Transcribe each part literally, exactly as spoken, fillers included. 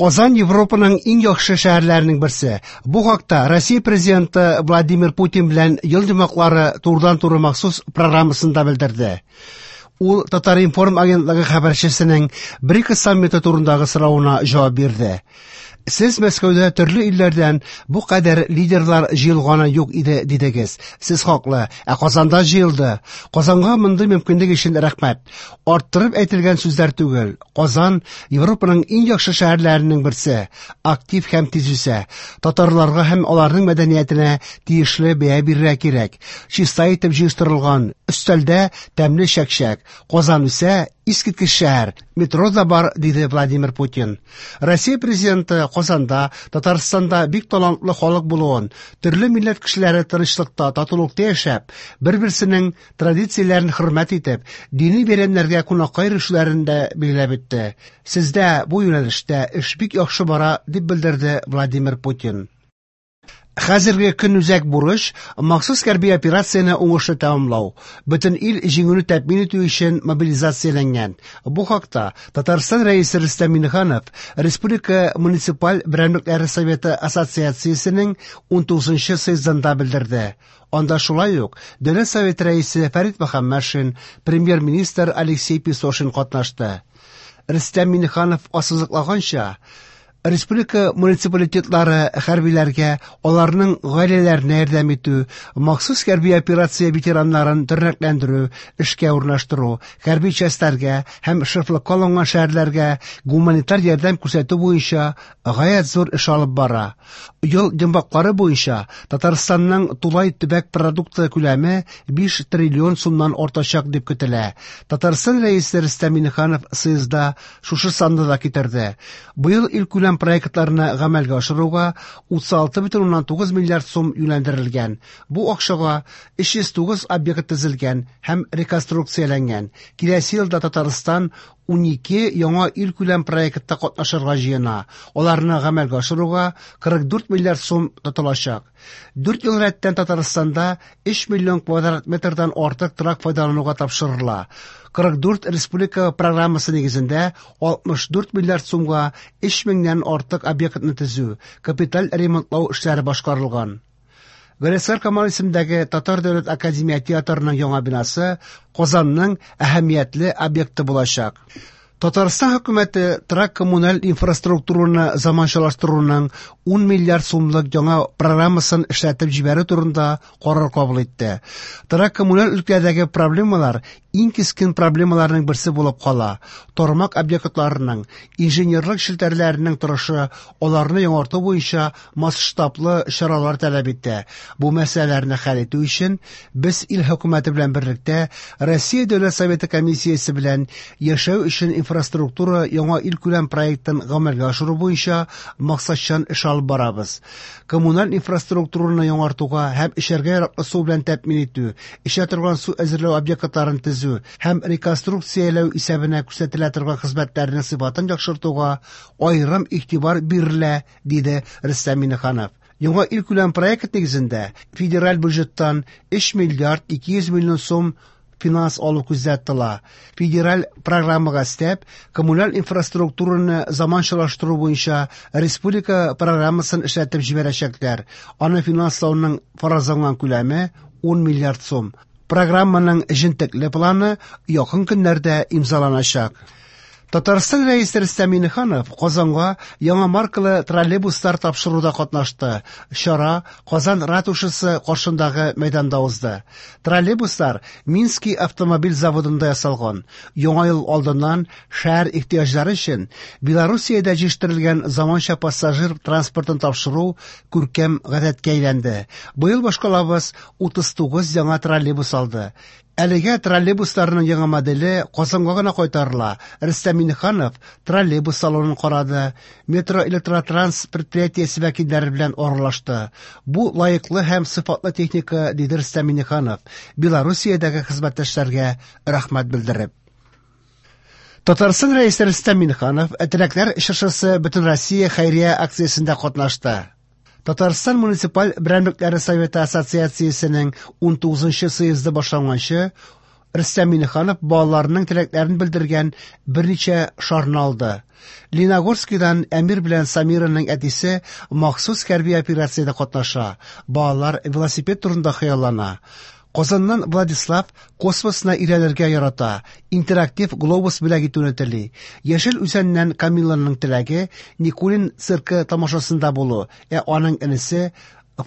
Казан Европаның иң яхшы шәһәрләренең берсе. Бу хакта Россия президенты Владимир Путин белән ел йомгаклары турыдан-туры махсус программасында белдерде. Ул Татар-информ агентлыгы хәбәрчесенең БРИКС саммиты турындагы соравына җавап бирде. Сез Мәскәүдә төрле илләрдән бу кадәр лидерлар җыелганы юк иде дидегез. Сез хаклы, ә Казанда җыелды. Казанга мондый мөмкинлек өчен рәхмәт. Арттырып әйтелгән сүзләр түгел. Казан Европаның иң яхшы шәһәрләренең берсе. Актив һәм тиз үсә. Татарларга һәм аларның мәдәниятенә тиешле бәя бирергә кирәк. Чиста итеп җыештырылган өстәлдә тәмле чәкчәк. Казан үсә, искиткеч шәһәр. Метро да бар, диде Владимир Путин. Россия президенты Казанда, Татарстанда бик талантлы халык булуын, төрле милләт кешеләре тынычлыкта, татулыкта яшәп, бер-берсенең традицияләрен хөрмәт итеп, дини бәйрәмнәргә кунакка йөрүчеләрен дә билгеләп үтте. Сездә бу юнәлештә эш бик яхшы бара, дип белдерде Владимир Путин. Хәзерге көнүзәк бурыч махсус хәрби операцияне уңышлы тәмамлау. Бөтен ил җиңүне тәэмин итү өчен мобилизацияләнгән. Бу хакта Татарстан Рәисе Рөстәм Миңнеханов Республика муниципаль берәмлекләре советы ассоциациясенең унтугызынчы съездында белдерде. Анда шулай ук Дәүләт Советы рәисе Фәрит Мөхәммәтшин, премьер-министр Алексей Песошин катнашты. Рөстәм Миңнеханов ассызыклаганча, республика муниципалитетлары хәрбиләргә, аларның гаиләләренә ярдәм итү, махсус хәрби операция ветераннарын тернәкләндерү, эшкә урнаштыру, хәрби частьләргә һәм шефлыкка алынган шәһәрләргә гуманитар ярдәм күрсәтү буенча гаять зур эш алып бара. Ел йомгаклары буенча Татарстанның тулай төбәк продукты күләме биш триллион сумнан артачак дип көтелә. Татарстан Рәисе Рөстәм Миңнеханов съездда шушы санны да китерде. Быел илкүләм проектларны гамәлгә ашыруга утыз алты бөтен уннан тугыз миллиард сум юнәлдерелгән. Бу акчага өч йөз тугыз объект төзелгән һәм реконструкцияләнгән. Киләсе елда Татарстан унике яңа илкүләм проектта катнашырга җыена. Аларны гамәлгә ашыруга кырык дүрт миллиард сум тотылачак. Дүрт ел рәттән Татарстанда өч миллион квадрат метрдан артык торак файдалануга тапшырыла. Кырык дүрт республика программасы нигезендә алтмыш дүрт миллиард сумга өч меңнән артык объектны төзү, капиталь ремонтлау эшләре башкарылган. Галиәсгар Камал исемендәге Татар дәүләт академия театрының яңа бинасы Казанның әһәмиятле объекты булачак. Татарстан хөкүмәте торак коммуналь инфраструктураны заманчалаштыруның ун миллиард сумлык яңа программасын эшләтеп җибәрү турында карар кабул итте. Торак коммуналь өлкәдәге проблемалар иң кискен проблемаларның берсе булып кала. Тармак объектларының, инженерлык челтәрләренең торышы аларны яңарту буенча масштаблы чаралар таләп итә. Бу мәсьәләләрне хәл итү өчен без ил хөкүмәте белән берлектә Россия Дәүләт Советы комиссиясе белән яшәү өчен инфраструктура яңа илкүләм проектын гамәлгә ашыру буенча максатчан эш алып барабыз. Коммуналь инфраструктураны яңартуга һәм эчәргә яраклы су белән тәэмин итү, эчә торган су әзерләү объектларын төзү һәм реконструкцияләү исәбенә күрсәтелә торган хезмәтләрнең сыйфатын яхшыртуга аерым игътибар бирелә, диде Рөстәм Миңнеханов. Яңа илкүләм проект нигезендә федераль бюджеттан өч миллиард ике йөз миллион сум финанс алу күздә тотыла. Федераль программага өстәп, коммуналь инфраструктураны заманчалаштыру буенча республика программасын эшләтеп җибәрәчәкләр. Аны финанслауның фаразланган күләме ун миллиард сум. Программаның җентекле планы якын көннәрдә имзаланачак. Татарстан Рәисе Рөстәм Миңнеханов Казанга яңа маркалы троллейбуслар тапшыруда катнашты. Чара Казан ратушасы каршындагы мәйданда узды. Троллейбуслар Минский автомобиль заводында ясалган. Яңа ел алдыннан шәһәр ихтыяҗлары өчен Белоруссиядә җитештерелгән заманча пассажир транспортын тапшыру күркәм гадәткә әйләнде. Быел башкалабыз утыз тугыз яңа троллейбус алды. Әлегә троллейбусларның яңа моделе Казанга гына кайтарыла. Рөстәм Миңнеханов троллейбус салонын карады, метро электротранс предприятиесе вәкилләре белән аралашты. Бу лаеклы һәм сыйфатлы техника, диде Рөстәм Миңнеханов, Белоруссиядәге хезмәттәшләргә рәхмәт белдереп. Татарстан Рәисе Рөстәм Миңнеханов Теләкләр чыршысы Бөтенроссия хәйрия акциясендә катнашты. Татарстан муниципаль берәмлекләре советы ассоциациясенең унтугызынчы съезды башланганчы Рөстәм Миңнеханов балаларының теләкләрен белдергән берничә шарны алды. Лениногорскидан Әмир белән Самираның әтисе махсус хәрби операциядә катнаша. Балалар велосипед турында хыяллана. Казаннан Владислав космосны өйрәнергә ярата, интерактив глобус бүләк итүне тели. Яшел Үзәннән Камилланың теләге Никулин циркы тамашасында булу, ә аның энесе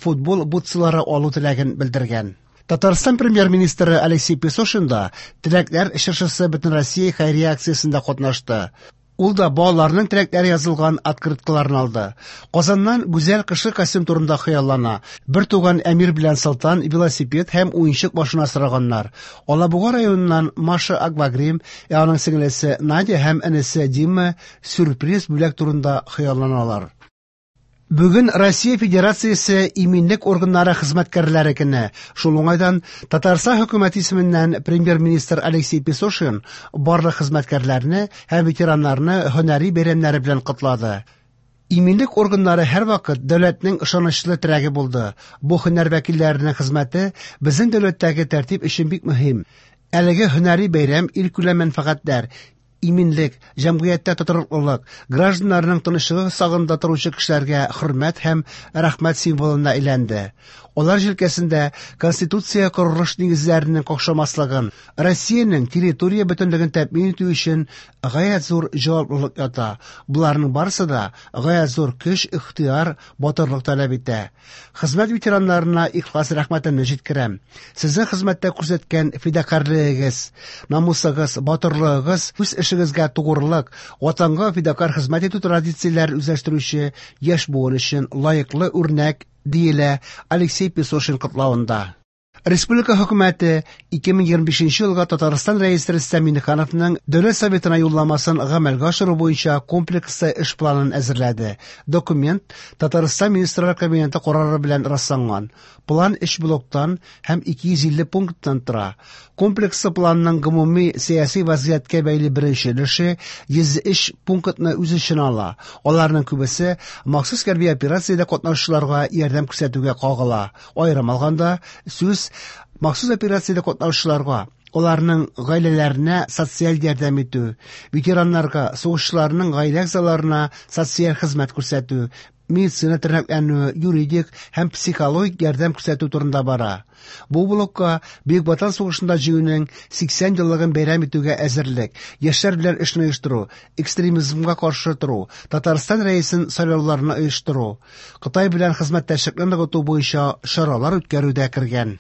футбол бутсылары алу теләген белдергән. Татарстан премьер-министры Алексей Песошин да Теләкләр чыршысы Бөтенроссия хәйрия акциясендә катнашты. Ул да балаларның теләкләре язылган открыткаларны алды. Казаннан Гүзәл кышкы костюм турында хыяллана. Бер туган Әмир белән Солтан велосипед һәм уенчык машина сораганнар. Алабуга районыннан Маша аквагрим, ә аның сеңлесе Надя һәм энесе Дима сюрприз бүләк турында хыялланалар. Бүген Россия Федерациясе иминлек органнары хезмәткәрләре көне. Шул уңайдан Татарстан хөкүмәте исеменнән премьер-министр Алексей Песошин барлык хезмәткәрләрне һәм ветераннарны һөнәри бәйрәмнәре белән котлады. Иминлек органнары һәрвакыт дәүләтнең ышанычлы терәге булды. Бу һөнәр вәкилләренең хезмәте безнең дәүләттәге тәртип өчен бик мөһим. Әлеге һөнәри бәйрәм илкүләм мәнфәгатьләр, иминлек, җәмгыятьтә тотрыклылык, гражданнарның тынычлыгы сагында торучы кешеләргә хөрмәт һәм рәхмәт символына әйләнде. Алар җилкәсендә Конституция корылыш нигезләренең какшамаслыгын, Россиянең территория бөтенлеген тәэмин итү өчен гаять зур җаваплылык ята. Боларның барысы да гаять зур көч, ихтыяр, батырлык таләп итә. Хезмәт ветераннарына ихлас рәхмәтемне җиткерәм. Сезнең хезмәттә күрсәткән фидакарьлегегез, намусыгыз, батырлыгыгыз үз эшегезгә тугрылык, ватанга фидакарь хезмәт итү традицияләрен үзләштерүче яшь буын өчен лаеклы үрнәк, диелә Алексей Песошин котлавында. Республика хөкүмәте ике мең егерме бишенче елга Татарстан Рәисе Рөстәм Миңнехановның Дәүләт Советына юлламасын гамәлгә ашыру буенча комплекслы эш планын әзерләде. Документ Татарстан Министрлар Кабинеты карары белән расланган. План өч блоктан һәм ике йөз илле пункттан тора. Комплекслы планның гомуми сәяси вазгыятькә бәйле беренче өлеше йөз өч пунктны үз эченә ала. Аларның күбесе махсус хәрби операциядә катнашучыларга ярдәм күрсәтүгә кагыла. Аерым алганда, сүз махсус операциядә катнашучыларга, аларның гаиләләренә социаль ярдәм итү, ветераннарга, сугышчыларның гаилә әгъзаларына социаль хезмәт күрсәтү, медицина тернәкләнү, юридик һәм психологик ярдәм күрсәтү турында бара. Бу блокка Бөек Ватан сугышында җиңүнең сиксән еллыгын бәйрәм итүгә әзерлек, яшьләр белән эшне оештыру, экстремизмга каршы тору, Татарстан Рәисен сайлауларны оештыру, Кытай белән хезмәттәшлекне ныгыту буенча чаралар үткәрү дә кергән.